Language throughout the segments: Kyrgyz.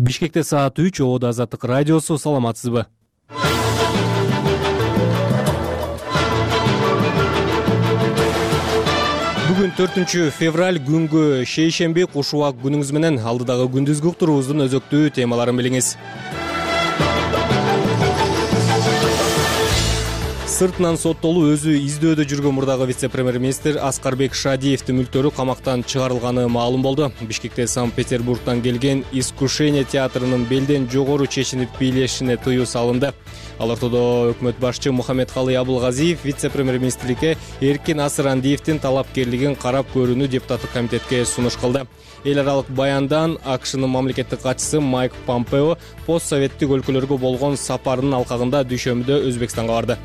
Бишкекте саат 3, Ободо Азаттык радиосу. Саламатсызбы? Бүгүн 4-февраль күнгө шейшемби. Куш убак күнүңүз менен алдыдагы күндүзгү уктуруубуздун өзөктүү темаларын билиңиз. Сыртынан соттолуу өзү издөөдө жүргөн мурдагы вице-премьер-министр Аскарбек Шадиевдин мүлктөрү камактан чыгарылганы маалым болду. Бишкекте Санкт-Петербургтан келген «Искушение» театрынын белден жогору чечинип бийлешине тыюу салынды. Ал ортодо өкмөт башчы Мухаммедкалый Абылгазиев вице-премьер-министрликке Эркин Асырандиевдин талапкерлигин карап көрүүнү депутаттык комитетке сунуш кылды. Эл аралык баяндан АКШнын мамлекеттик катчысы Майк Помпео постсоветтик өлкөлөргө болгон сапарынын алкагында дүйшөмбүдө Өзбекстанга барды.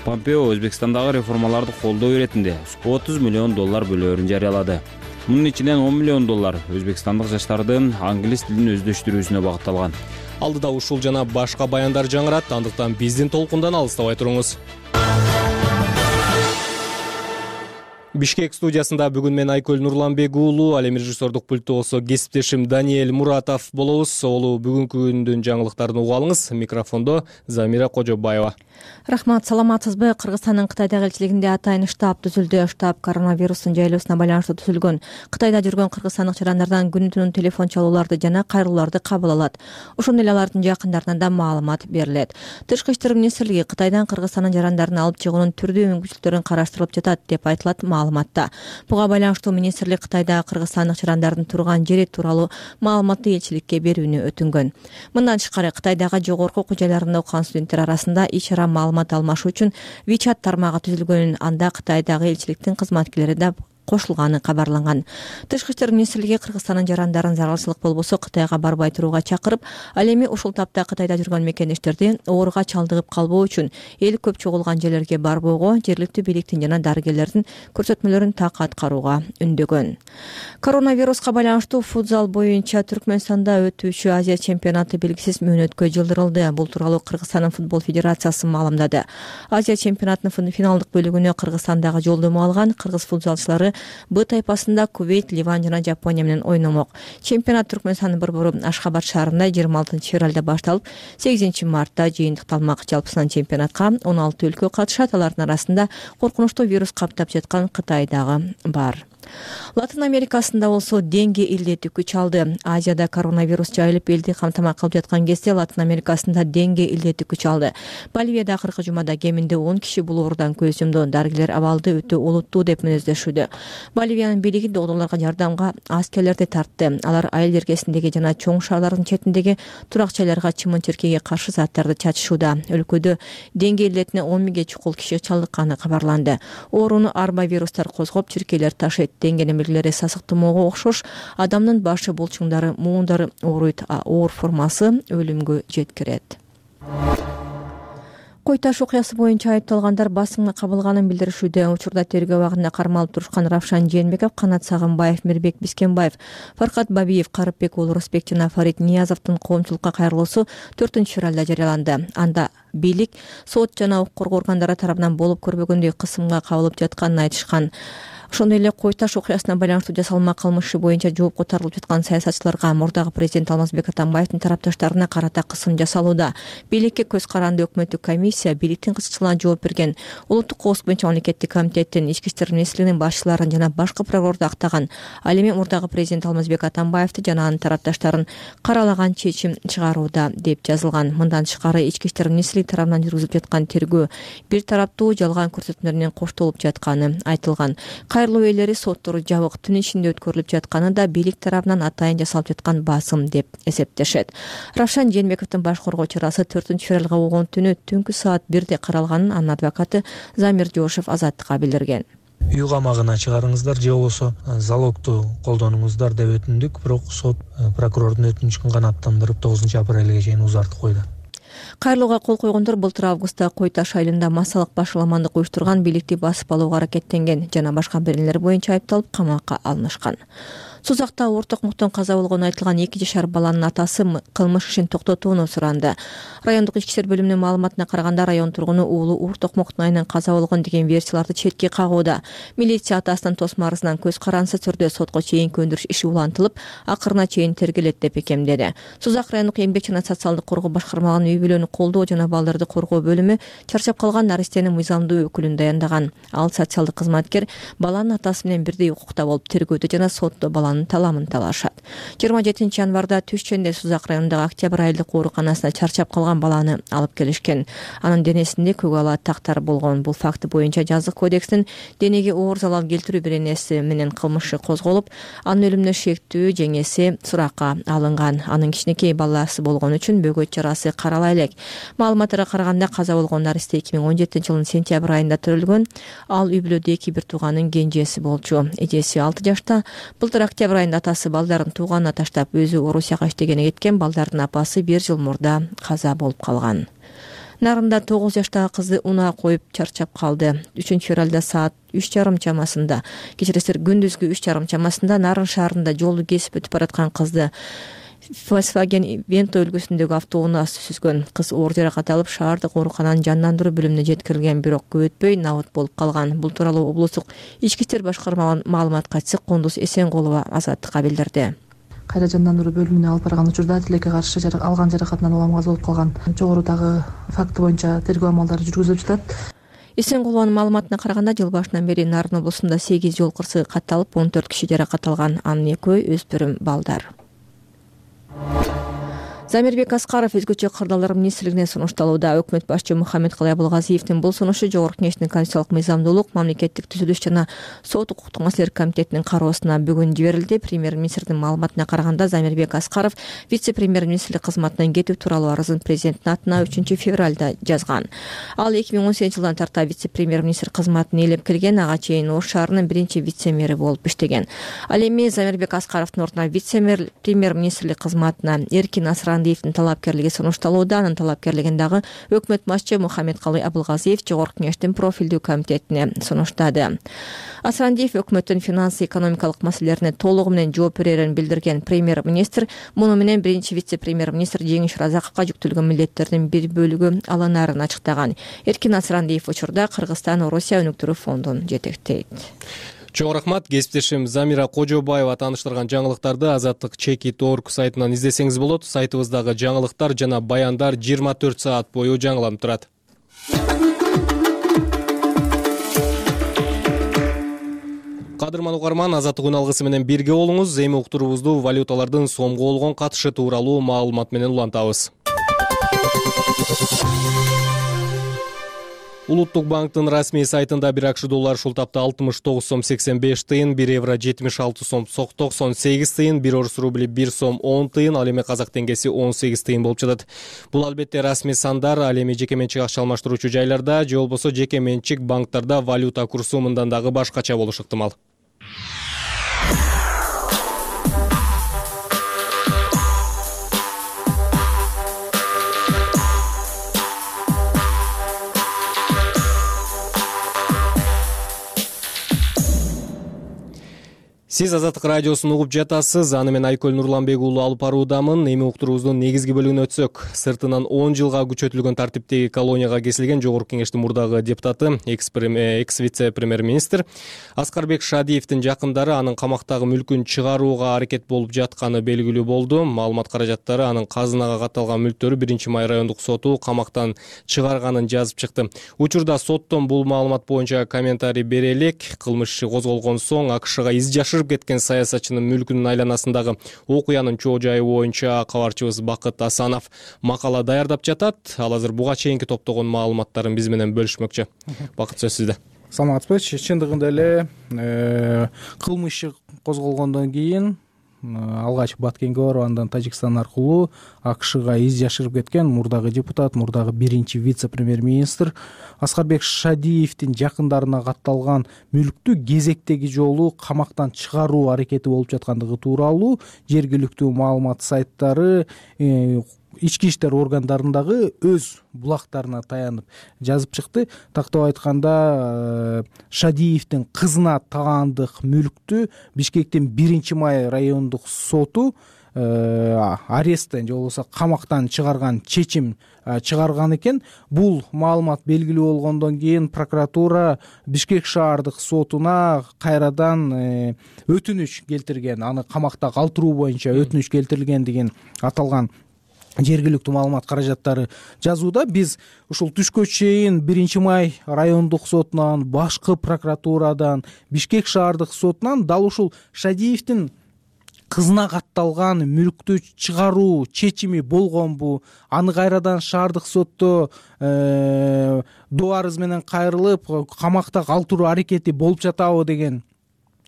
Помпео Өзбекстандагы реформаларды колдоо иретинде $30 миллион бөлөөрүн жарыялады. Мунун ичинен $10 миллион өзбекстандык жаштардын англис тилин өздөштүрүүсүнө багытталган. Алдыда ушул жана башка баяндар жаңырат, андыктан биздин толкундан алыстабай туруңуз. Бишкек студиясында бүгүн мен Айкөл Нурланбек уулу, ал эми режиссердук пультта болсо кесиптешим Даниэль Муратов болобуз. Олу бүгүнкү күндүн жаңылыктарын угуп алыңыз. Микрофондо Замира Кожобаева. Рахмат, саламатсызбы? Кыргызстандын Кытайдагы элчилигинде атайын штаб түзүлдү. Штаб коронавирустун жайылуусуна байланыштуу түзүлгөн. Кытайда жүргөн кыргызстандык жарандардан күнү-түнү телефон чалууларды жана кайрылууларды кабыл алат. Ошондой эле алардын жакындарынан да маалымат берилет. Тышкы иштер министрлиги Кытайдан Кыргызстандын жарандарын алып чыгуунун түрдүү мүмкүнчүлүктөрүн караштырылып жатат деп айтылат маалыматта. Буга байланыштуу министрлик Кытайдагы кыргызстандык жарандардын турган жери тууралуу маалыматты элчиликке берүүнү өтүнгөн. Мындан тышкары Кытайдагы жогорку окуу жайларында окуган студенттер арасында ич-чара маалымат алмашуу үчүн WeChat тармагы түзүлгөнүн, анда Кытайдагы элчиликтин кызматкерлери да кошулганы кабарланган. Тышкы иштер министрлиги Кыргызстандын жарандарын зарылчылык болбосо Кытайга барбай турууга чакырып, ал эми ушул тапта Кытайда жүргөн мекендештерди ооруга чалдыгып калбоо үчүн эл көп чогулган жерлерге барбоого, жергиликтүү бийликтин жана дарыгерлердин көрсөтмөлөрүн так аткарууга үндөгөн. Коронавируска байланыштуу футзал боюнча Түркмөнстанда өтүүчү Азия чемпионаты белгисиз мөөнөткө жылдырылды. Бул тууралуу Кыргызстандын футбол федерациясы маалымдады. Азия чемпионатынын финалдык бөлүгүнө Кыргызстандагы жолдомо алган кыргыз футзалчылары Б тайпасында Кувейт, Ливан жана Жапония менен ойномок. Чемпионат Түркмөнстандын борбору Ашхабад шаарында 26-февралда башталып, 8-мартта жыйынтыкталмак. Жалпысынан чемпионатка 16 өлкө катышат. Алардын арасында коркунучтуу вирус каптап жаткан Кытай дагы бар. Латын Америкасында болсо денге илдети күч алды. Азияда коронавирус жайылып элди камтама кылып жаткан кезде Латын Америкасында денге илдети күч алды. Боливияда акыркы жумада кеминде 10 киши бул оорудан көз жумду. Дарыгерлер абалды өтө олуттуу деп мүнөздөшүүдө. Боливиянын бийлиги докторлорго жардамга аскерлерди тартты. Алар айыл жергесиндеги жана чоң шаарлардын четиндеги турак жайларга чымын-чиркейге каршы заттарды чачышууда. Өлкөдө денге илдетине 10 миңге чукул киши чалдыкканы кабарланды. Ооруну арбовирустар козгоп, чиркейлер ташыйт. Деңгенин белгилери сасык тумоого окшош. Адамдын башы, булчуңдары, муундары ооруйт. Оор формасы өлүмгө жеткирет. Кой Таш окуясы боюнча айыпталгандар басымга кабылганын билдиришүүдө. Учурда тергөө абагында кармалып турушкан Равшан Жээнбеков, Канат Сагынбаев, Мирбек Бискенбаев, Фаркат Бабиев, Карыпбек уулу Рысбек жана Фарид Ниязовдун коомчулукка кайрылуусу 4-февралда жарыяланды. Анда бийлик сот жана укук коргоо органдары тарабынан болуп көрбөгөндөй кысымга кабылып жатканын айтышкан. Ошондой эле Кой Таш окуясына байланыштуу жасалма кылмышы боюнча жоопко тартылып жаткан саясатчыларга мурдагы президент Алмазбек Атамбаевдин тарапташтарына карата кысым жасалууда. Бийликке көз каранды өкмөттүк комиссия бийликтин кызыкчылыгына жооп берген. Улуттук коопсуздук боюнча мамлекеттик комитеттин, Ички иштер министрлигинин башчыларын жана башкы прокурорду актаган. Ал эми мурдагы президент Алмазбек Атамбаевди жана анын тарапташтарын каралаган чечим чыгарууда деп жазылган. Мындан тышкары Ички иштер министрлиги тарабынан жүргүзүлүп жаткан тергөө бир тараптуу жалган көрсөтмөлөр менен коштолуп жатканы айтылган. Кайрылуу ээлери соттору жабык түн ичинде өткөрүлүп жатканы да бийлик тарабынан атайын жасалып жаткан басым деп эсептешет. Равшан Жээнбековдун баш коргоо чарасы 4-февралга болгон түнү түнкү саат 1-де каралганын анын адвокаты Замир Жошев Азаттыкка билдирген. Үй камагына чыгарыңыздар же болбосо залогду колдонуңуздар деп өтүндүк, бирок сот прокурордун өтүнүчүн канааттандырып 9-апрелге чейин узартып койду. Кайрылууга кол койгондор былтыр августта Кой Таш айылында массалык башаламандык уюштурган, бийликти басып алууга аракеттенген жана башка беренелер боюнча айыпталып камакка алынышкан. Сузакта оор токмоктон каза болгону айтылган 2 жашар баланын атасы кылмыш ишин токтотууну суранды. Райондук ички иштер бөлүмүнүн маалыматына караганда район тургуну уулу оор токмоктун айынан каза болгон деген версияларды четке кагууда. Милиция атасынын тосмо арызынан көз карансыз түрдө сотко чейинки өндүрүш иши улантылып, акырына чейин тергелет деп бекемдеди. Сузак райондук эмгек жана социалдык коргоо башкармалыгынын үй бүлөнү колдоо жана балдарды коргоо бөлүмү чарчап калган наристенин мыйзамдуу өкүлүн даяндаган. Ал социалдык кызматкер баланын атасы менен бирдей укукта болуп тергөөдө жана сотто баланын таламын талашат. 27 январда Түшчөндө Сузак районундагы Октябрь айылдык ооруканасына чарчап калган баланы алып келишкен. Анын денесинде көк ала тактар болгон. Бул факты боюнча жазык кодекстин денеге оор залал келтирүү беренеси менен кылмышы козголуп, анын өлүмүнө шектүү жеңеси суракка алынган. Анын кичинекей баласы болгон үчүн бөгөт жарасы карала элек. Маалыматтарга караганда каза болгон наристе 2017 жылдын сентябрь айында төрөлгөн. Ал үй бүлөдө 2 тууганын кенжеси болчу. Эжеси 6 жашта. Былтыр октябрь айында атасы балдарын тууганына таштап өзү Орусияга иштегени кеткен. Балдардын апасы 1 жыл мурда каза болуп калган. Нарында 9 жаштагы кызды унаа коюп чарчап калды. 3 февралда саат 3:30 чамасында, кечиресиздер күндүзгү 3:30 чамасында Нарын шаарында жолду кесип өтүп бараткан кызды Volkswagen Vento үлгүсүндөгү автоунаа сүзгөн. Кыз оор жаракат алып шаардык оорукананын жандандыруу бөлүмүнө жеткирилген, бирок көп өтпөй набыт болуп калган. Бул тууралуу облустук ички иштер башкармалыгынын маалымат катчысы Кундуз Эсенкулова Азаттыкка билдирди. Кайра жандандыруу бөлүмүнө алып барган учурда тилекке каршы алган жаракатынан улам каза болуп калган. Жогорудагы факты боюнча тергөө амалдары жүргүзүлүп жатат. Эсенкулованын маалыматына караганда жыл башынан бери Нарын облусунда 8 жол кырсыгы катталып, 14 киши жаракат алган. Анын 2-өө өспүрүм балдар. Замирбек Аскаров өзгөчө кырдаалдар министрлигине сунушталууда. Өкмөт башчы Мухаммедкалый Абылгазиевдин бул сунушу Жогорку Кеңештин конституциялык мыйзамдуулук, мамлекеттик түзүлүш жана сот укуктук маселелер комитетинин кароосуна бүгүн жиберилди. Премьер-министрдин маалыматына караганда Замирбек Аскаров вице-премьер-министрлик кызматынан кетүү тууралуу арызын президенттин атына 3 февралда жазган. Ал 2018 жылдан тарта вице-премьер-министр кызматын ээлеп келген, ага чейин Ош шаарынын биринчи вице-мэри болуп иштеген. Ал эми Замирбек Аскаровдун ордуна вице-премьер-министрлик кызматына Эркин Асрандиевдин талапкерлиги сунушталууда. Анын талапкерлигин дагы өкмөт башчы Мухаммедкалый Абылгазиев Жогорку Кеңештин профилдүү комитетине сунуштады. Асрандиев өкмөттүн финансы-экономикалык маселелерине толугу менен жооп берерин билдирген премьер-министр муну менен биринчи вице-премьер-министр Жеңиш Разаковго жүктөлгөн милдеттердин бир бөлүгү алынарын ачыктаган. Эркин Асрандиев учурда Кыргызстан Орусия өнүктүрүү фондун жетектейт. Чоң рахмат. Кесиптешим Замира Кожобаева тааныштырган жаңылыктарды Азаттык Чекит.org сайтынан издесеңиз болот. Сайтыбыздагы жаңылыктар жана баяндар 24 саат бою жаңыланып турат. Кадырман угарман, Азаттык үн алгысы менен бирге болуңуз. Эми уктуруубузду валюталардын сомго болгон катышы тууралуу маалымат менен улантабыз. Улуттук банктын расмий сайтында 1 акш доллар ушул тапта 69 сом 85 тыйын, 1 евро 76 сом 98 тыйын, 1 орус рубли 1 сом 10 тыйын, ал эми казак теңгеси 18 тыйын болуп жатат. Бул албетте расмий сандар, ал эми жеке менчик акча алмаштыруучу жайларда же болбосо жеке менчик банктарда валюта курсу мындан дагы башкача болушу ыктымал. Сиз Азаттык радиосун угуп жатасыз. Аны мен Айкөл Нурланбек уулу алып баруудамын. Эми уктуруубуздун негизги бөлүгүнө өтсөк, сыртынан 10 жылга күчөтүлгөн тартиптеги колонияга кесилген Жогорку Кеңештин мурдагы депутаты, экс-вице-премьер-министр Аскарбек Шадиевдин жакындары анын камактагы мүлкүн чыгарууга аракет болуп жатканы белгилүү болду. Маалымат каражаттары анын казынага катталган мүлктөрү 1-Май райондук соту камактан чыгарганын жазып чыкты. Учурда соттон бул маалымат боюнча комментарий бере элек. Кылмыш иши козголгон соң АКШга из жашырып кеткен саясатчынын мүлкүнүн айланасындагы окуянын чоо жайы боюнча кабарчыбыз Бакыт Асанов макала даярдап жатат. Ал азыр буга чейинки топтогон маалыматтарын биз менен бөлүшмөкчү. Бакыт, сөз сизде. Саламатсызбы? Чындыгында эле кылмыш иши козголгондон кийин алгач Баткенге барып, андан Тажикстан аркылуу АКШга из жашырып кеткен мурдагы депутат, мурдагы 1-чи вице-премьер-министр Аскарбек Шадиевдин жакындарына катталган мүлктү кезектеги жолу камактан чыгаруу аракети болуп жаткандыгы тууралуу жергиликтүү маалымат сайттары ички иштер органдарындагы өз булактарына таянып жазып чыкты. Тактап айтканда Шадиевдин кызына таандык мүлктү Бишкектин 1-май райондук соту аресттен же болбосо камактан чыгарган чечим чыгарган экен. Бул маалымат белгилүү болгондон кийин прокуратура Бишкек шаардык сотуна кайрадан өтүнүч келтирген, аны камакта калтыруу боюнча өтүнүч келтирилгендигин аталган жергиликтүү маалымат каражаттары жазууда. Биз ушул түшкө чейин 1-май райондук сотунан, башкы прокуратурадан, Бишкек шаардык сотунан дал ушул Шадиевдин кызына катталган мүлктү чыгаруу чечими болгонбу, аны кайрадан шаардык сотто доо арыз менен кайрылып камакта калтыруу аракети болуп жатабы деген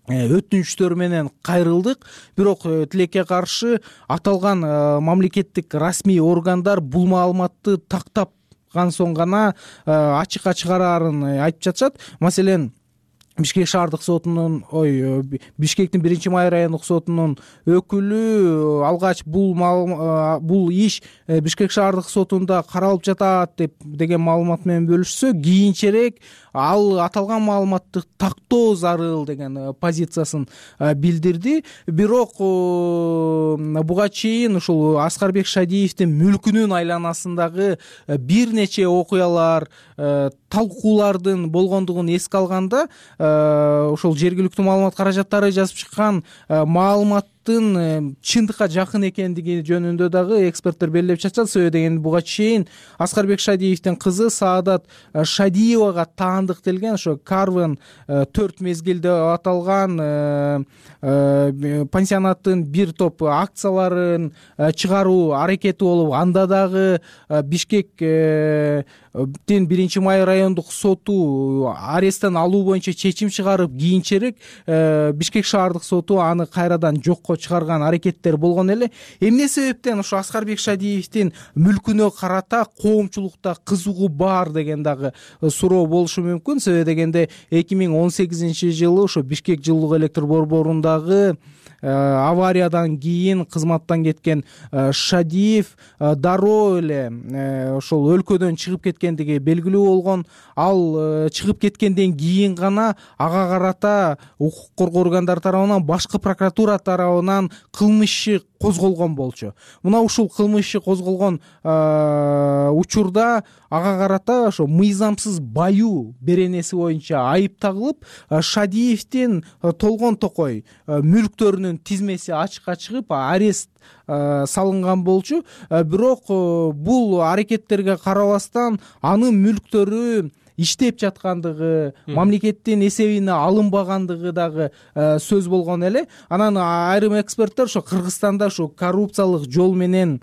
өтүнүчтөр менен кайрылдык. Бирок тилекке каршы аталган мамлекеттик расмий органдар бул маалыматты тактапкан соң гана ачыкка чыгараарын айтып жатышат. Маселен, Бишкек шаардык сотунун Бишкектин 1-май райондук сотунун өкүлү алгач бул иш Бишкек шаардык сотунда каралып жатат деген маалымат менен бөлүшсө, кийинчерээк ал аталган маалыматты тактоо зарыл деген позициясын билдирди. Бирок буга чейин ушул Аскарбек Шадиевдин мүлкүнүн айланасындагы бир нече окуялар, талкуулардын болгондугун эске алганда, ошол жергиликтүү маалымат каражаттары жазып чыккан маалыматтын чындыкка жакын экендиги жөнүндө дагы эксперттер белгилеп жатышат. Себеби дегенде буга чейин Аскарбек Шадиевдин кызы Саадат Шадиевага таандык делген ошо Карвен 4 мезгил деп аталган пансионаттын бир топ акцияларын чыгаруу аракети болуп, анда дагы Бишкектин 1-май райондук соту аресттен алуу боюнча чечим чыгарып, кийинчерээк Бишкек шаардык соту аны кайрадан жокко чыгарган аракеттер болгон эле. Эмне себептен ошо Аскарбек Шадиевдин мүлкүнө карата коомчулукта кызыгуу бар деген дагы суроо болушу мүмкүн. Себеби дегенде 2018-жылы ошо Бишкек жылуулук электр борборундагы авариядан кийин кызматтан кеткен Шадиев дароо эле ошол өлкөдөн чыгып кеткендиги белгилүү болгон. Ал чыгып кеткенден кийин гана ага карата укук коргоо органдары тарабынан, башкы прокуратура тарабынан кылмыш иши козголгон болчу. Мына ушул кылмыш иши козголгон учурда ага карата ошо мыйзамсыз баюу беренеси боюнча айып тагылып, Шадиевдин толгон токой мүлктөрүнүн тизмеси ачыкка чыгып, арест салынган болчу. Бирок бул аракеттерге карабастан анын мүлктөрү иштеп жаткандыгы, мамлекеттин эсебине алынбагандыгы дагы сөз болгон эле. Анан айрым эксперттер ошо Кыргызстанда ошо коррупциялык жол менен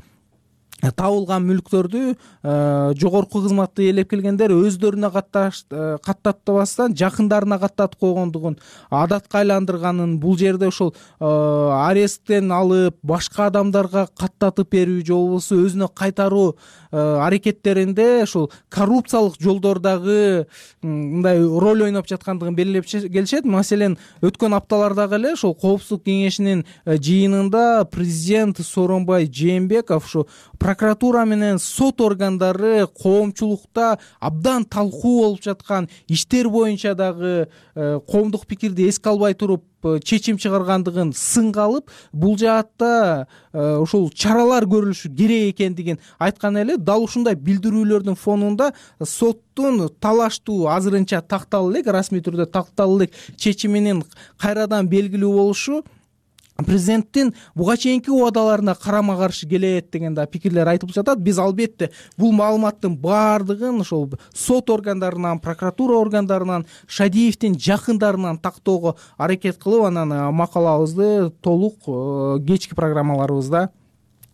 табылган мүлктөрдү жогорку кызматты ээлеп келгендер өздөрүнө каттатпастан жакындарына каттатып койгондугун адатка айландырганын, бул жерде ошол аресттен алып башка адамдарга каттатып берүү же болбосо өзүнө кайтаруу аракеттеринде ошол коррупциялык жолдордогу мындай роль ойноп жаткандыгын белгилеп келишет. Маселен, өткөн апталардагы эле ошол Коопсуздук кеңешинин жыйынында президент Сооронбай Жээнбеков ошо прокуратура менен сот органдары коомчулукта абдан талкуу болуп жаткан иштер боюнча дагы коомдук пикирди эске албай туруп чечим чыгаргандыгын сынга алып, бул жаатта ушул чаралар көрүлүшү керек экендигин айткан эле. Дал ушундай билдирүүлөрдүн фонунда соттун талаштуу, азырынча такталуу элек, расмий түрдө такталуу элек чечиминин кайрадан белгилүү болушу президенттин буга чейинки убадаларына карама каршы келет деген да пикирлер айтылып жатат. Биз албетте бул маалыматтын баардыгын ошол сот органдарынан, прокуратура органдарынан, Шадиевдин жакындарынан тактоого аракет кылып, анан макалабызды толук кечки программаларыбызда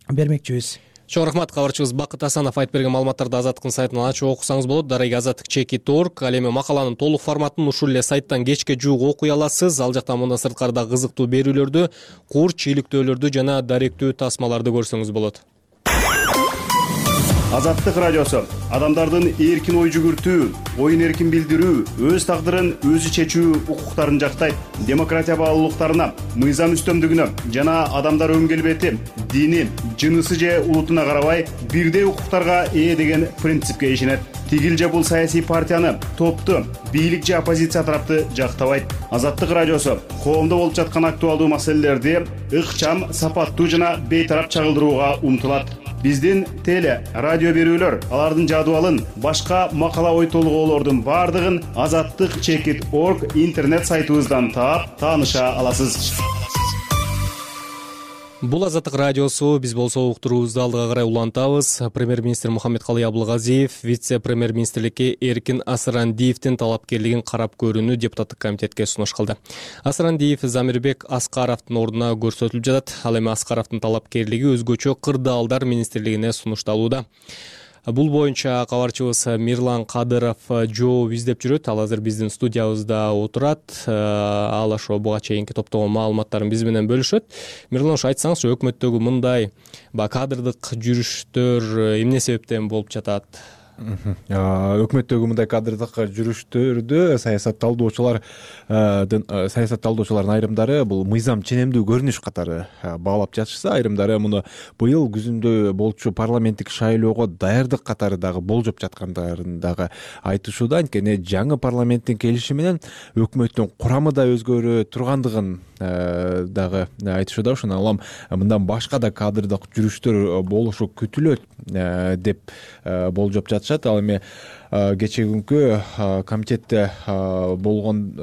бермекчибиз. Чоң рахмат. Кабарчыбыз Бакыт Асанов айтып берген маалыматтарды Азаттыктын сайтынан ачып окусаңыз болот. Дареги azattik.org. Ал эми макаланын толук форматын ушул эле сайттан кечке жуук окуй аласыз. Ал жактан мындан сырткары да кызыктуу берүүлөрдү, курч, иликтөөлөрдү жана даректүү тасмаларды көрсөңүз болот. Азаттык радиосу адамдардын эркин ой жүгүртүү, оюн эркин билдирүү, өз тагдырын өзү чечүү укуктарын жактайт. Демократия баалуулуктарына, мыйзам үстөмдүгүнө жана адамдар өн келбети, дини, жынысы же улутуна карабай бирдей укуктарга ээ деген принципке ишенет. Тигил же бул саясий партияны, топту, бийлик же оппозиция тарапты жактабайт. Азаттык радиосу коомдо болуп жаткан актуалдуу маселелерди ыкчам, сапаттуу жана бейтарап чагылдырууга умтулат. Биздин теле, радио берүүлөр, алардын жадыбалын, башка макала ой толгоолордун бардыгын azattik.org интернет сайтыбыздан таап, тааныша аласыз. Бул Азаттык радиосу. Биз болсо уктуруубузду алдыга карай улантабыз. Премьер-министр Мухаммедкалый Абылгазиев вице-премьер-министрликке Эркин Асырандиевдин талапкерлигин карап көрүүнү депутаттык комитетке сунуш кылды. Асырандиев Замирбек Аскаровдун ордуна көрсөтүлүп жатат. Ал эми Аскаровдун талапкерлиги өзгөчө кырдаалдар министрлигине сунушталууда. Бул боюнча кабарчыбыз Мирлан Кадыров жооп издеп жүрөт. Ал азыр биздин студиябызда отурат. Ал ошо буга чейинки топтогон маалыматтарын биз менен бөлүшөт. Мирлан, ошо айтсаңызчы, өкмөттөгү мындай кадрдык жүрүштөр эмне себептен болуп жатат? Өкмөттөгү мындай кадрдык жүрүштөрдү саясатталуучулардын айрымдары бул мыйзам ченемдүү көрүнүш катары баалап жатышса, айрымдары муну быйыл күзүндө болчу парламенттик шайлоого даярдык катары дагы болжоп жаткандарын дагы айтышууда. Анткени жаңы парламенттин келиши менен өкмөттүн курамы да өзгөрө тургандыгын дагы айтышууда. Ошондон улам мындан башка да кадрдык жүрүштөр болушу күтүлөт деп болжоп жатышат. Ал эми кечээ күнкү комитетте болгон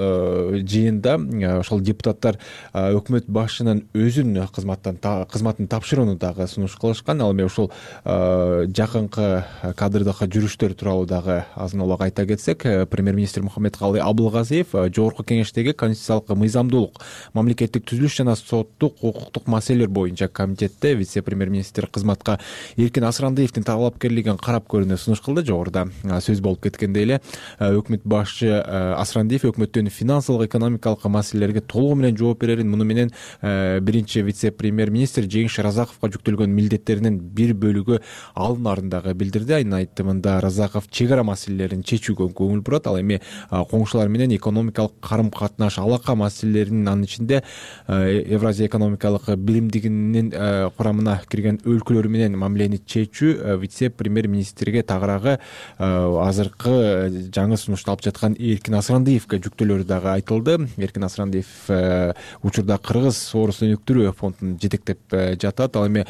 жыйында ошол депутаттар өкмөт башчынын өзүн кызматын тапшырууну дагы сунуш кылышкан. Ал эми ушул жакынкы кадрдык жүрүштөр тууралуу дагы азын улак айта кетсек, премьер-министр Мухаммедкалый Абылгазиев жогорку кеңештеги конституциялык мыйзамдуулук, мамлекеттик түзүлүш жана соттук укуктук маселелер боюнча комитетте вице-премьер-министр кызматка Эркин Асырандиевдин талапкерлигин карап көрүүнү сунуш кылды. Жогоруда сөз болуп кеткендей эле, өкмөт башчы Асырандиев өкмөттүн финансылык экономикалык маселелерге толугу менен жооп берерин, муну менен биринчи вице-премьер-министр Жеңиш Разаковго жүктөлгөн милдеттеринин бир бөлүгү алынарын дагы билдирди. Анын айтымында Разаков чек ара маселелерин чечүүгө көңүл бурат. Ал эми коңшулар менен экономикалык карым-катнаш, алака маселелеринин, анын ичинде Евразия экономикалык биримдигинин курамына кирген өлкөлөр менен мамилени чечүү вице-премьер-министрге тагыраагы азыркы жаңы сунушталып жаткан Эркин Асырандиевге жүктөөлөрү дагы айтылды. Эркин Асырандиев учурда Кыргыз Орус өнүктүрүү фондун жетектеп жатат. Ал эми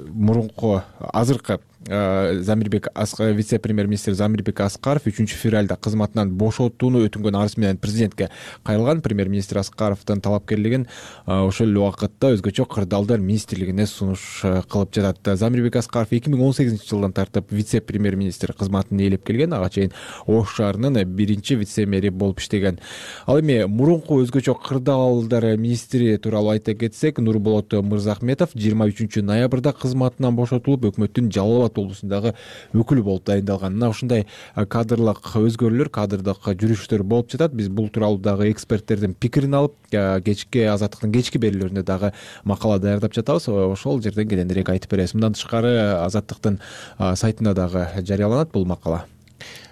мурунку азыркы вице-премьер-министр Замирбек Аскаров 3-февралда кызматынан бошотууну өтүнгөн арыз менен президентке кайрылган. Премьер-министр Аскаровдун талапкерлигин ошол эле убакытта өзгөчө кырдаалдар министрлигине сунуш кылып жатат. Замирбек Аскаров 2018-жылдан тартып вице-премьер-министр кызматын ээлеп келген. Ага чейин Ош шаарынын биринчи вице-мэри болуп иштеген. Ал эми мурунку өзгөчө кырдаалдар министри тууралуу айта кетсек, Нурболот Мырзахметов 23 ноябрда кызматынан бошотулуп, өкмөттүн Жалал абад облусундагы өкүлү болуп дайындалган. Мына ушундай кадрлык өзгөрүүлөр, кадрдык жүрүштөр болуп жатат. Биз бул тууралуу дагы эксперттердин пикирин алып, кечки Азаттыктын кечки берүүлөрүндө дагы макала даярдап жатабыз. Ошол жерден кененирээк айтып беребиз. Мындан тышкары Азаттыктын сайтында дагы жарыяланат бул макала.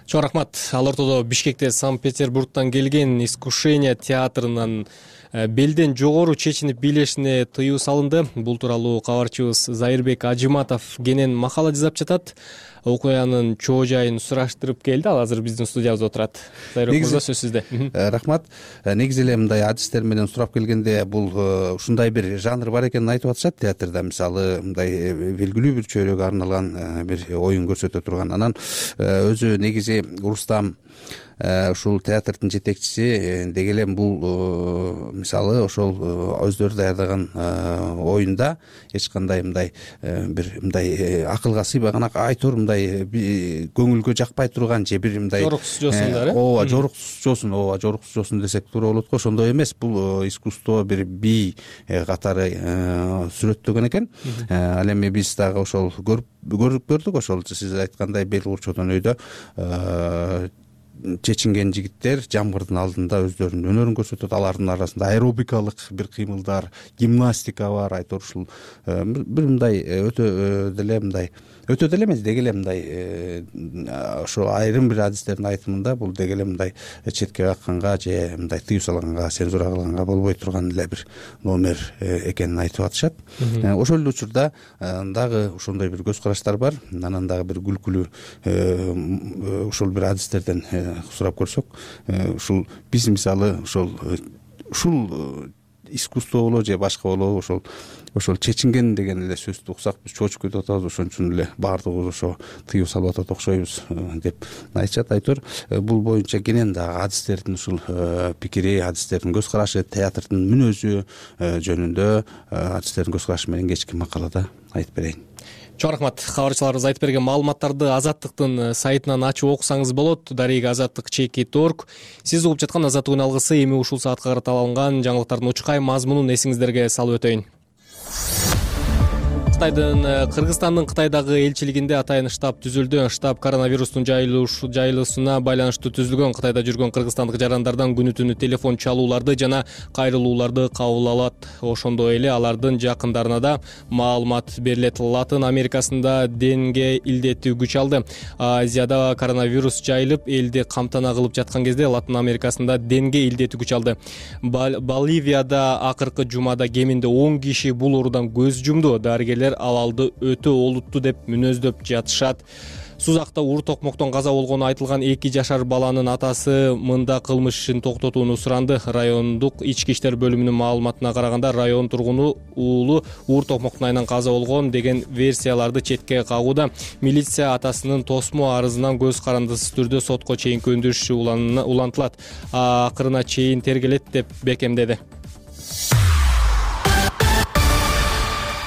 Чоң рахмат. Ал ортодо Бишкекте Санкт-Петербургтан келген «Искушение» театрынан белден жогору чечинип бийлешине тыюу салынды. Бул тууралуу кабарчыбыз Зайырбек Ажыматов кенен макала жазап жатат. Окуянын чоо жайын сураштырып келди. Ал азыр биздин студиябызда отурат. Зайырбек мырза, сөз сизде. Рахмат. Негизи эле мындай адистер менен сурап келгенде бул ушундай бир жанр бар экенин айтып атышат театрда. Мисалы, мындай белгилүү бир чөйрөгө арналган бир оюн көрсөтө турган. Анан өзү негизи Рустам ушул театрдын жетекчиси деги эле бул мисалы ошол өздөрү даярдаган оюнда эч кандай мындай бир мындай акылга сыйбаган, айтор мындай көңүлгө жакпай турган же бир мындай жоруксуз жосун, ооба жоруксуз жосун десек туура болот го. Ошондой эмес, бул искусство бир бий катары сүрөттөгөн экен. Ал эми биз дагы ошол көрүп көрдүк. Ошол сиз айткандай бел курчоодон өйдө чечинген жигиттер жамгырдын алдында өздөрүнүн өнөрүн көрсөтөт. Алардын арасында аэробикалык бир кыймылдар, гимнастика бар. Айтор ушул бир мындай өтө деле эмес, деги эле мындай ошо айрым бир адистердин айтымында бул деги эле мындай четке какканга же мындай тыюу салганга, цензура кылганга болбой турган эле бир номер экенин айтып атышат. Ошол эле учурда дагы ошондой бир көз караштар бар. Анан дагы бир күлкүлүү ушул бир адистерден сурап көрсөк, ушул биз мисалы ушул искусство болобу же башка болобу ошол чечинген деген эле сөздү уксак биз чочуп кетип атабыз, ошон үчүн эле баардыгыбыз ошо тыюу салып атат окшойбуз деп айтышат. Айтор бул боюнча кенен дагы адистердин ушул пикири, адистердин көз карашы, театрдын мүнөзү жөнүндө адистердин көз карашы менен кечки макалада айтып берейин. Чоң рахмат. Кабарчыларыбыз айтып берген маалыматтарды Азаттыктын сайтынан ачып окусаңыз болот. Дареги azattik.org. Сиз угуп жаткан Азаттыктын алгысы эми ушул саатка карата алынган жаңылыктардын учкай мазмунун эсиңиздерге салып өтөйүн. Кыргызстандын Кытайдагы элчилигинде атайын штаб түзүлдү. Штаб коронавирустун жайылуусуна байланыштуу түзүлгөн. Кытайда жүргөн кыргызстандык жарандардан күнү түнү телефон чалууларды жана кайрылууларды кабыл алат. Ошондой эле алардын жакындарына да маалымат берилет. Латын Америкасында денге илдети күч алды. Азияда коронавирус жайылып, элди камтана кылып жаткан кезде Латын Америкасында денге илдети күч алды. Боливияда акыркы жумада кеминде 10 киши бул оорудан көз жумду. Дарыгерлер абалды өтө олуттуу деп мүнөздөп жатышат. Сузакта уур токмоктон каза болгону айтылган 2 жашар баланын атасы мында кылмыш ишин токтотууну суранды. Райондук ички иштер бөлүмүнүн маалыматына караганда, район тургуну уулу уур токмоктун айынан каза болгон деген версияларды четке кагууда. Милиция атасынын тосмо арызынан көз карандысыз түрдө сотко чейинки өндүрүш улантылат. Акырына чейин тергелет деп бекемдеди.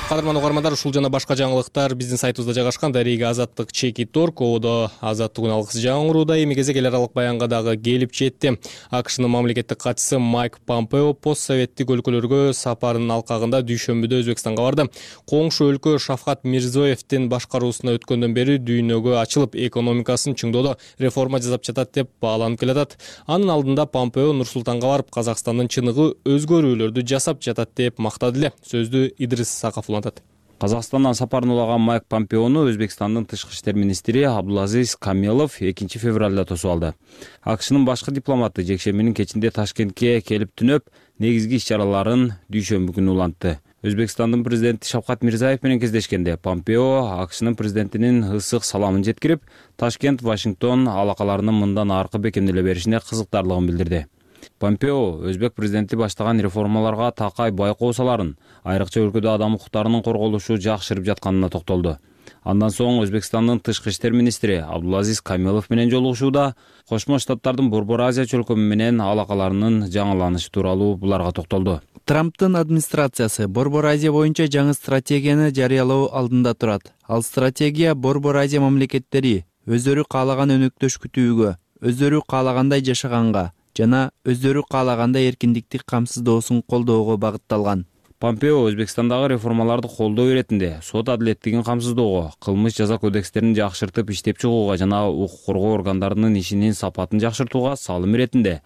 Кадырман угармандар, ушул жана башка жаңылыктар биздин сайтыбызда жайгашкан. Дареги azattik.org. Ободо Азаттыктын алгысы жаңырууда. Эми кезек эл аралык баянга дагы келип жетти. АКШнын мамлекеттик катчысы Майк Помпео постсоветтик өлкөлөргө сапарынын алкагында дүйшөмбүдө Өзбекстанга барды. Коңшу өлкө Шавкат Мирзиёевдин башкаруусуна өткөндөн бери дүйнөгө ачылып, экономикасын чыңдоодо реформа жасап жатат деп бааланып келатат. Анын алдында Помпео Нур-Султанга барып, Казакстандын чыныгы өзгөрүүлөрдү жасап жатат деп мактады эле. Сөздү Идрис Сакафулов. Казакстандан сапарын улаган Майк Помпеону Өзбекстандын тышкы иштер министри Абдулазиз Камилов 2 февралда тосуп алды. АКШнын башкы дипломаты жекшембинин кечинде Ташкентке келип түнөп, негизги иш-чараларын дүйшөмбү күнү улантты. Өзбекстандын президенти Шавкат Мирзиёев менен кездешкенде Помпео АКШнын президентинин ысык саламын жеткирип, Ташкент-Вашингтон алакаларынын мындан аркы бекемделе беришине кызыктарлыгын билдирди. Помпео өзбек президенти баштаган реформаларга такай байкоо саларын, айрыкча өлкөдө адам укуктарынын корголушу жакшырып жатканына токтолду. Андан соң Өзбекстандын тышкы иштер министри Абдулазиз Камилов менен жолугушууда Кошмо Штаттардын Борбор Азия чөлкөмү менен алакаларынын жаңыланышы тууралуу буларга токтолду. Трамптын администрациясы Борбор Азия боюнча жаңы стратегияны жарыялоо алдында турат. Ал стратегия Борбор Азия мамлекеттери өздөрү каалаган өнөктөш күтүүгө, өздөрү каалагандай жашаганга жана өздөрү каалагандай эркиндикти камсыздоосун колдоого багытталган. Помпео Өзбекстандагы реформаларды колдоо иретинде сот адилеттигин камсыздоого, кылмыш жаза кодекстерин жакшыртып иштеп чыгууга жана укук коргоо органдарынын ишинин сапатын жакшыртууга салым иретинде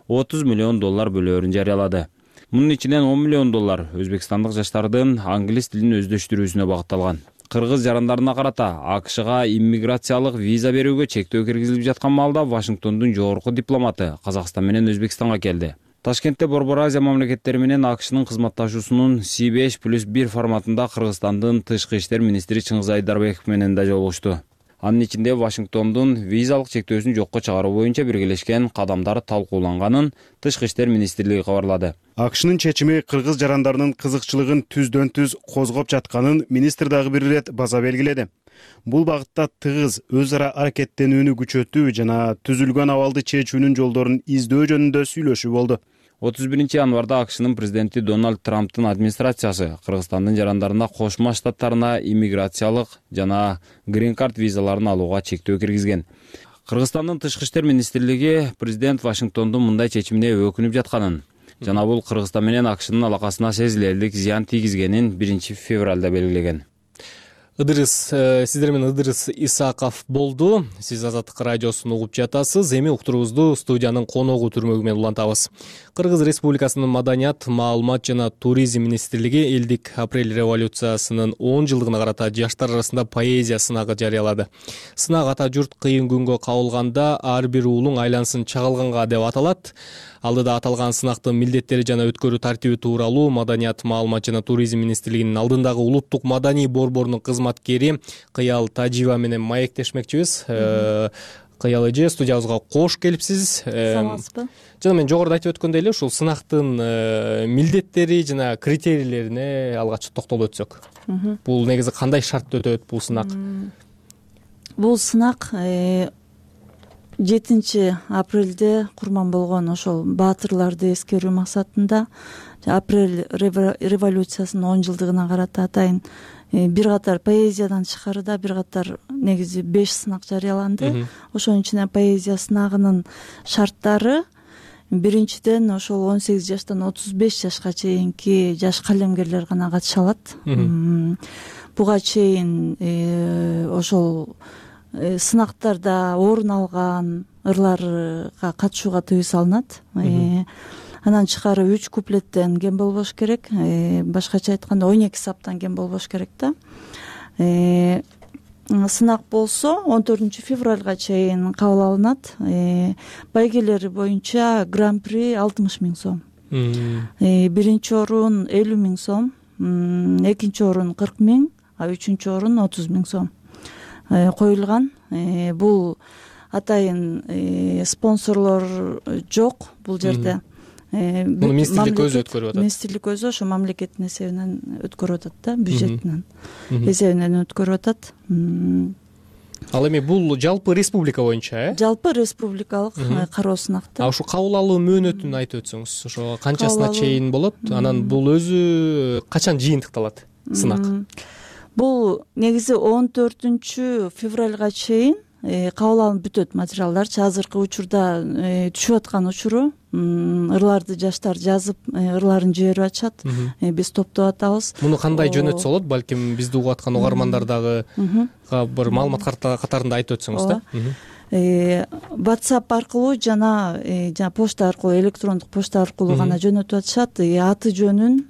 $30 миллион бөлөөрүн жарыялады. Мунун ичинен $10 миллион өзбекстандык жаштардын англис тилин өздөштүрүүсүнө багытталган. Кыргыз жарандарына карата АКШга иммиграциялык виза берүүгө чектөө киргизилип жаткан маалда Вашингтондун жогорку дипломаты Казакстан менен Өзбекстанга келди. Ташкентте Борбор Азия мамлекеттери менен АКШнын кызматташуусунун C5+1 форматында Кыргызстандын тышкы иштер министри Чыңгыз Айдарбеков менен да жолугушту. Анын ичинде Вашингтондун визалык чектөөсүн жокко чыгаруу боюнча биргелешкен кадамдар талкууланганын тышкы иштер министрлиги кабарлады. АКШнын чечими кыргыз жарандарынын кызыкчылыгын түздөн түз козгоп жатканын министр дагы бир ирет баса белгиледи. Бул багытта тыгыз өз ара аракеттенүүнү күчөтүү жана түзүлгөн абалды чечүүнүн жолдорун издөө жөнүндө сүйлөшүү болду. 31 январда АКШнын президенти Дональд Трамптын администрациясы Кыргызстандын жарандарына Кошмо Штаттарына иммиграциялык жана грин-карт визаларын алууга чектөө киргизген. Кыргызстандын тышкы иштер министрлиги президент Вашингтондун мындай чечимине өкүнүп жатканын жана бул Кыргызстан менен АКШнын алакасына сезилерлик зыян тийгизгенин 1 февралда белгилеген. Ыдырыс, сиздер менен Ыдырыс Исаков болду. Сиз Азаттык радиосун угуп жатасыз. Эми уктуруубузду студиянын коногу түрмөгү менен улантабыз. Кыргыз Республикасынын Маданият, маалымат жана туризм министрлиги элдик апрель революциясынын 10 жылдыгына карата жаштар арасында поэзия сынагы жарыялады. Сынак ата журт кыйын күнгө кабылганда ар бир уулуң айлансын чагылганга деп аталат. Алдыда аталган сынактын милдеттери жана өткөрүү тартиби тууралуу Маданият, маалымат жана туризм министрлигинин алдындагы улуттук маданий борборунун кызматкери Кыял Тажиева менен маектешмекчибиз. Кыял эже, студиябызга кош келипсиз. Саламатсызбы? Жана мен жогоруда айтып өткөндөй эле ушул сынактын милдеттери жана критерийлерине алгач токтолуп өтсөк. Бул негизи кандай шартта өтөт бул сынак? Бул сынак 7 апрелде курман болгон ошол баатырларды эскерүү максатында апрель революциясынын 10 жылдыгына карата атайын бир катар поэзиядан тышкарыда бир катар негизи 5 сынак жарыяланды. Ошонун ичине поэзия сынагынын шарттары биринчиден ошол 18 жаштан 35 жашка чейинки жаш калемгерлер гана катыша алат. Буга чейин ошол сынактарда орун алган ырларга катышууга тыюу салынат. Андан тышкары 3 куплеттен кем болбош керек, башкача айтканда 12 саптан кем болбош керек да. Сынак болсо 14 февралга чейин кабыл алынат. Байгелери боюнча гран-при 60 000 сом. Биринчи орун 50 000 сом, экинчи орун 40 000, а үчүнчү орун 30 000 сом коюлган. Бул атайын спонсорлор жок бул жерде. Муну министрлик өзү өткөрүп атат. Министрлик өзү ошо мамлекеттин эсебинен өткөрүп атат да, бюджетинен эсебинен өткөрүп атат. Ал эми бул жалпы республика боюнча, Жалпы республикалык кароо сынакта. А ушу кабыл алуу мөөнөтүн айтып өтсөңүз, ошо канчасына чейин болот? Анан бул өзү качан жыйынтыкталат сынак? Бул негизи 14 февралга чейин кабыл алынып бүтөт материалдарчы. Азыркы учурда түшүп аткан учуру ырларды жаштар жазып ырларын жиберип атышат. Биз топтоп атабыз. Муну кандай жөнөтсө болот? Балким бизди угуп аткан угармандар дагы бир маалымат катарында айтып өтсөңүз да. WhatsApp аркылуу жана почта аркылуу, электрондук почта аркылуу гана жөнөтүп атышат. Аты жөнүн,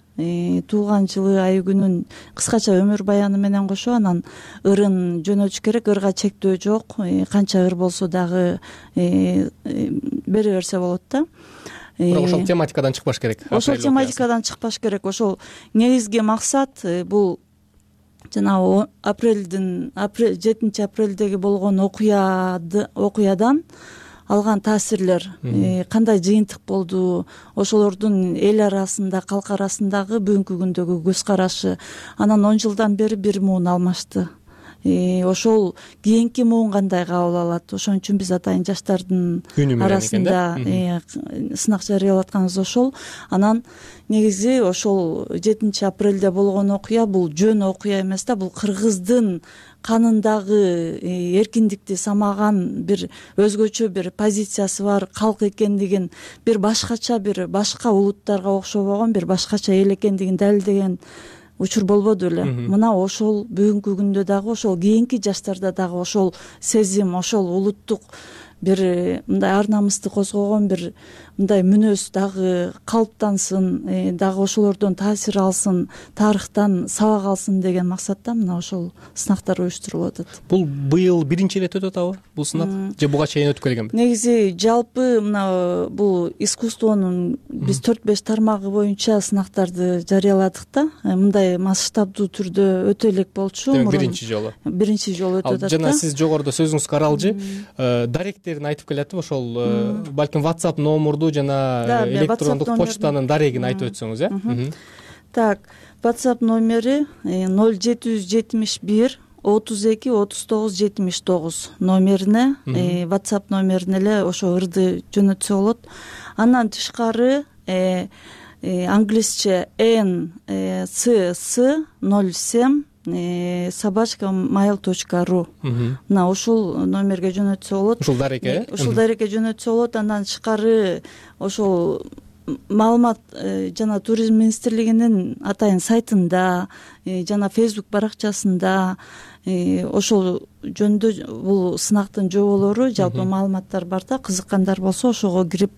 туулган жылы, ай күнүн, кыскача өмүр баяны менен кошо анан ырын жөнөтүш керек. Ырга чектөө жок, канча ыр болсо дагы бере берсе болот да. Бирок ошол тематикадан чыкпаш керек. Ошол тематикадан чыкпаш керек. Ошол негизги максат бул жана 7 апрелдеги болгон окуядан алган таасирлер кандай жыйынтык болду, ошолордун эл арасында, калк арасындагы бүгүнкү күндөгү көз карашы. Анан 10 жылдан бери бир муун алмашты. Ошол кийинки муун кандай кабыл алат? Ошон үчүн биз атайын жаштардын арасында сынак жарыялап атканыбыз ошол. Анан негизи ошол 7 апрелде болгон окуя бул жөн окуя эмес да, бул кыргыздын канындагы эркиндикти самаган бир өзгөчө бир позициясы бар калк экендигин, бир башкача, бир башка улуттарга окшобогон бир башкача эл экендигин далилдеген учур болбоду эле. Мына ошол бүгүнкү күндө дагы, ошол кийинки жаштарда дагы ошол сезим, ошол улуттук бир мындай ар намысты козгогон бир мындай мүнөз дагы калыптансын, дагы ошолордон таасир алсын, тарыхтан сабак алсын деген максатта мына ошол сынактар уюштурулуп атат. Бул быйыл биринчи ирет өтүп атабы бул сынак? Же буга чейин өтүп келгенби? Негизи жалпы мына бул искусствонун биз 4-5 тармагы боюнча сынактарды жарыяладык да. Мындай масштабдуу түрдө өтө элек болчу. Биринчи жолу өтүп атат. Жана сиз жогоруда сөзүңүзгө каралжы даректерин айтып келатып, ошол балким WhatsApp номурду жана электрондук почтанын дарегин айтып өтсөңүз, Так, WhatsApp номери 0771 32 39 79 номерине, WhatsApp номерине эле ошо ырды жөнөтсө болот. Андан тышкары англисче ncc07 @mail.ru мына ушул номерге жөнөтсө болот. Ушул дарекке жөнөтсө болот. Андан тышкары ошол маалымат жана туризм министрлигинин атайын сайтында жана Facebook баракчасында ошол жөнүндө бул сынактын жоболору жалпы маалыматтар бар да, кызыккандар болсо ошого кирип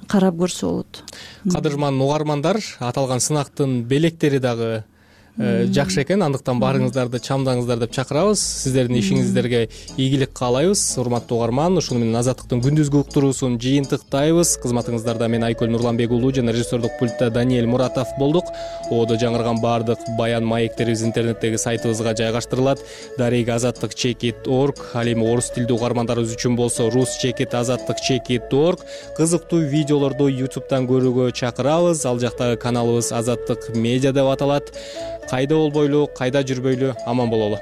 карап көрсө болот. Кадырман угармандар, аталган сынактын белектери дагы жакшы экен, андыктан барыңыздарды чамдаңыздар деп чакырабыз. Сиздердин ишиңиздерге ийгилик каалайбыз. Урматтуу угарман, ушуну менен Азаттыктын күндүзгү уктуруусун жыйынтыктайбыз. Кызматыңыздарда мен Айкөл Нурланбек уулу жана режиссердук пультта Даниэль Муратов болдук. Одо жаңырган баардык баян маектерибиз интернеттеги сайтыбызга жайгаштырылат. Дареги azattik.org, ал эми орус тилдүү угармандарыбыз үчүн болсо rus.azattik.org. Кызыктуу видеолорду YouTube'дан көрүүгө чакырабыз. Ал жактагы каналыбыз Азаттык медиа деп аталат. Кайда болбойлу, кайда жүрбөйлү, аман бололу.